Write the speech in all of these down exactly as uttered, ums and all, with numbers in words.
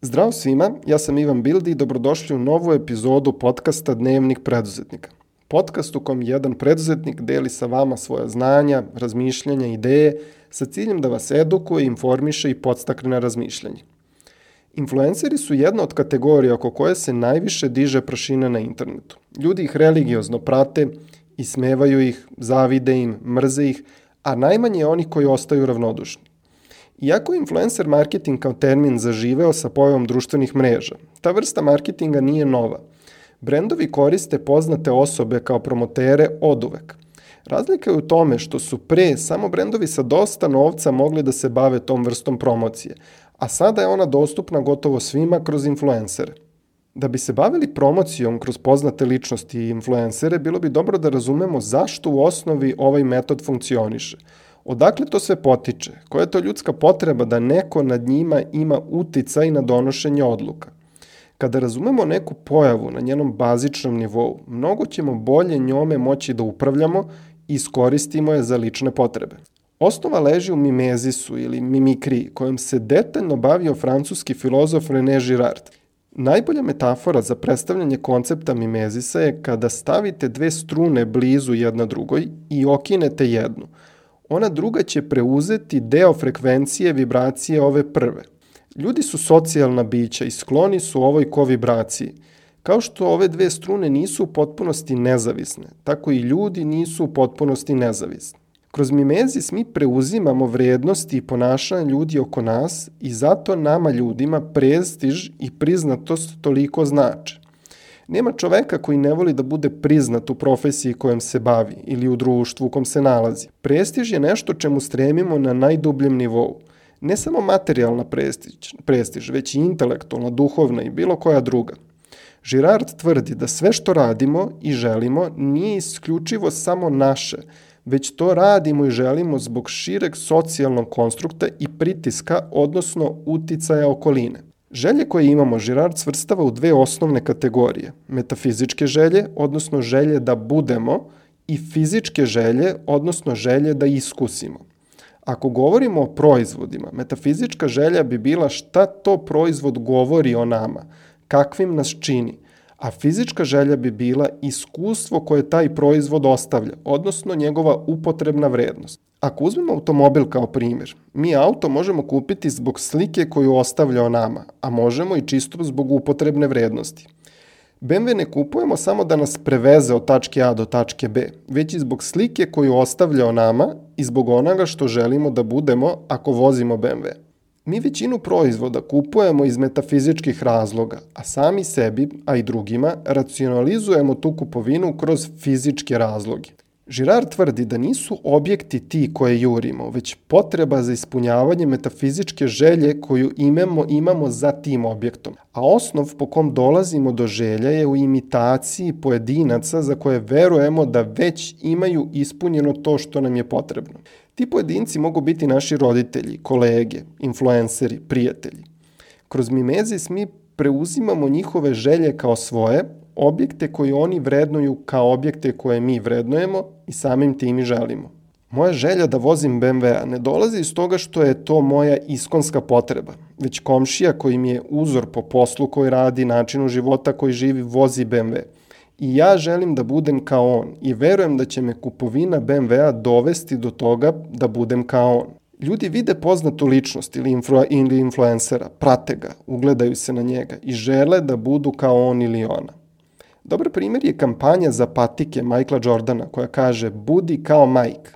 Zdravo svima, ja sam Ivan Bildi i dobrodošli u novu epizodu podcasta Dnevnik preduzetnika. Podcast u kom jedan preduzetnik deli sa vama svoja znanja, razmišljanja, ideje sa ciljem da vas edukuje, informiše i podstakne na razmišljanje. Influenceri su jedna od kategorija oko koje se najviše diže prašina na internetu. Ljudi ih religiozno prate, ismevaju ih, zavide im, mrze ih, a najmanje je onih koji ostaju ravnodušni. Iako je influencer marketing kao termin zaživeo sa pojavom društvenih mreža, ta vrsta marketinga nije nova. Brendovi koriste poznate osobe kao promotere oduvek. Razlika je u tome što su pre samo brendovi sa dosta novca mogli da se bave tom vrstom promocije, a sada je ona dostupna gotovo svima kroz influencere. Da bi se bavili promocijom kroz poznate ličnosti i influencere, bilo bi dobro da razumemo zašto u osnovi ovaj metod funkcioniše. Odakle to sve potiče? Koja je to ljudska potreba da neko nad njima ima uticaj na donošenje odluka? Kada razumemo neku pojavu na njenom bazičnom nivou, mnogo ćemo bolje njome moći da upravljamo i iskoristimo je za lične potrebe. Osnova leži u mimezisu ili mimikriji, kojom se detaljno bavio francuski filozof René Girard. Najbolja metafora za predstavljanje koncepta mimezisa je kada stavite dve strune blizu jedna drugoj i okinete jednu. Ona druga će preuzeti deo frekvencije vibracije ove prve. Ljudi su socijalna bića i skloni su ovoj kovibraciji. Kao što ove dve strune nisu u potpunosti nezavisne, tako i ljudi nisu u potpunosti nezavisni. Kroz mimezis mi preuzimamo vrednosti i ponašanje ljudi oko nas i zato nama ljudima prestiž i priznatost toliko znače. Nema čoveka koji ne voli da bude priznat u profesiji kojom se bavi ili u društvu u kom se nalazi. Prestiž je nešto čemu stremimo na najdubljem nivou. Ne samo materijalna prestiž, prestiž, već i intelektualna, duhovna i bilo koja druga. Girard tvrdi da sve što radimo i želimo nije isključivo samo naše, već to radimo i želimo zbog šireg socijalnog konstrukta i pritiska, odnosno uticaja okoline. Želje koje imamo Girard svrstava u dve osnovne kategorije, metafizičke želje, odnosno želje da budemo, i fizičke želje, odnosno želje da iskusimo. Ako govorimo o proizvodima, metafizička želja bi bila šta to proizvod govori o nama, kakvim nas čini, a fizička želja bi bila iskustvo koje taj proizvod ostavlja, odnosno njegova upotrebna vrednost. Ako uzmemo automobil kao primjer, mi auto možemo kupiti zbog slike koju ostavlja o nama, a možemo i čisto zbog upotrebne vrednosti. be em ve ne kupujemo samo da nas preveze od tačke A do tačke B, već i zbog slike koju ostavlja o nama i zbog onoga što želimo da budemo ako vozimo be em ve. Mi većinu proizvoda kupujemo iz metafizičkih razloga, a sami sebi, a i drugima, racionalizujemo tu kupovinu kroz fizičke razloge. Girard tvrdi da nisu objekti ti koje jurimo, već potreba za ispunjavanje metafizičke želje koju imamo, imamo za tim objektom. A osnov po kom dolazimo do želja je u imitaciji pojedinaca za koje verujemo da već imaju ispunjeno to što nam je potrebno. Ti pojedinci mogu biti naši roditelji, kolege, influenceri, prijatelji. Kroz mimezis mi preuzimamo njihove želje kao svoje, objekte koje oni vrednuju kao objekte koje mi vrednujemo i samim tim i želimo. Moja želja da vozim be em ve ne dolazi iz toga što je to moja iskonska potreba, već komšija koji mi je uzor po poslu koji radi, načinu života koji živi, vozi be em ve. I ja želim da budem kao on i verujem da će me kupovina be em ve dovesti do toga da budem kao on. Ljudi vide poznatu ličnost ili, influ, ili influencera, prate ga, ugledaju se na njega i žele da budu kao on ili ona. Dobar primjer je kampanja za patike Michaela Jordana koja kaže budi kao Mike.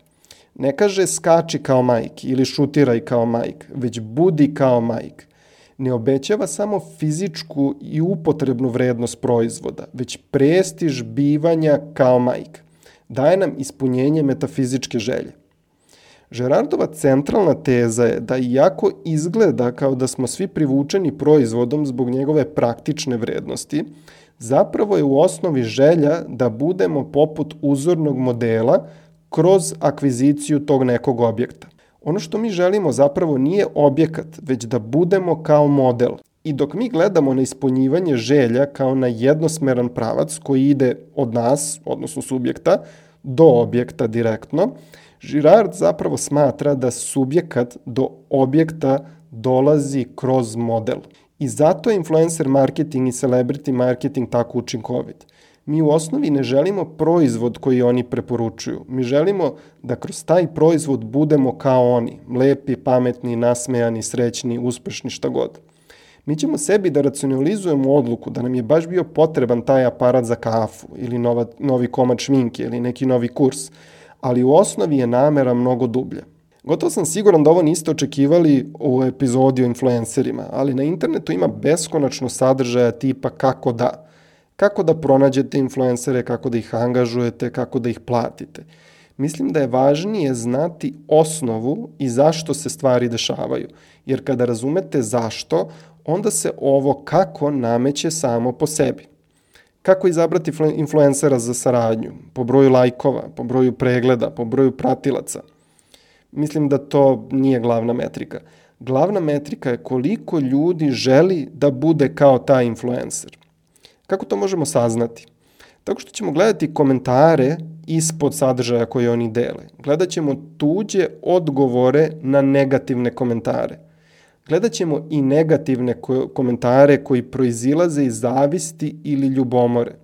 Ne kaže skači kao Mike ili šutiraj kao Mike, već budi kao Mike. Ne obećava samo fizičku i upotrebnu vrednost proizvoda, već prestiž bivanja kao Mike. Daje nam ispunjenje metafizičke želje. Girardova centralna teza je da iako izgleda kao da smo svi privučeni proizvodom zbog njegove praktične vrednosti, zapravo je u osnovi želja da budemo poput uzornog modela kroz akviziciju tog nekog objekta. Ono što mi želimo zapravo nije objekat, već da budemo kao model. I dok mi gledamo na ispunjivanje želja kao na jednosmeran pravac koji ide od nas, odnosno subjekta, do objekta direktno, Girard zapravo smatra da subjekat do objekta dolazi kroz model. I zato je influencer marketing i celebrity marketing tako učinkovit. Mi u osnovi ne želimo proizvod koji oni preporučuju. Mi želimo da kroz taj proizvod budemo kao oni, lepi, pametni, nasmejani, srećni, uspešni, šta god. Mi ćemo sebi da racionalizujemo odluku da nam je baš bio potreban taj aparat za kafu ili nova, novi komad šminke ili neki novi kurs, ali u osnovi je namera mnogo dublja. Gotovo sam siguran da ovo niste očekivali u epizodi o influencerima, ali na internetu ima beskonačno sadržaja tipa kako da. Kako da pronađete influencere, kako da ih angažujete, kako da ih platite. Mislim da je važnije znati osnovu i zašto se stvari dešavaju. Jer kada razumete zašto, onda se ovo kako nameće samo po sebi. Kako izabrati influencera za saradnju? Po broju lajkova, po broju pregleda, po broju pratilaca. Mislim da to nije glavna metrika. Glavna metrika je koliko ljudi želi da bude kao taj influencer. Kako to možemo saznati? Tako što ćemo gledati komentare ispod sadržaja koje oni dele. Gledat ćemo tuđe odgovore na negativne komentare. Gledat ćemo i negativne komentare koji proizilaze iz zavisti ili ljubomore.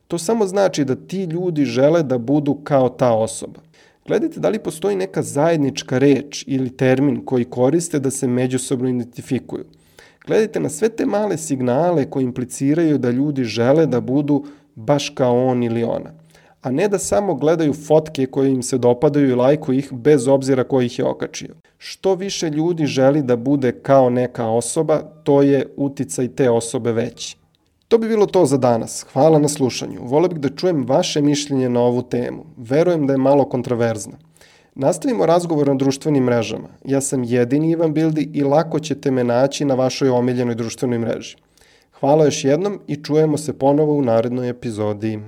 To samo znači da ti ljudi žele da budu kao ta osoba. Gledajte da li postoji neka zajednička reč ili termin koji koriste da se međusobno identifikuju. Gledajte na sve te male signale koji impliciraju da ljudi žele da budu baš kao on ili ona. A ne da samo gledaju fotke koje im se dopadaju i lajkuju ih bez obzira ko ih je okačio. Što više ljudi želi da bude kao neka osoba, to je uticaj te osobe veći. To bi bilo to za danas. Hvala na slušanju. Voleo bih da čujem vaše mišljenje na ovu temu. Verujem da je malo kontraverzna. Nastavimo razgovor na društvenim mrežama. Ja sam jedini Ivan Bildi i lako ćete me naći na vašoj omiljenoj društvenoj mreži. Hvala još jednom i čujemo se ponovo u narednoj epizodi.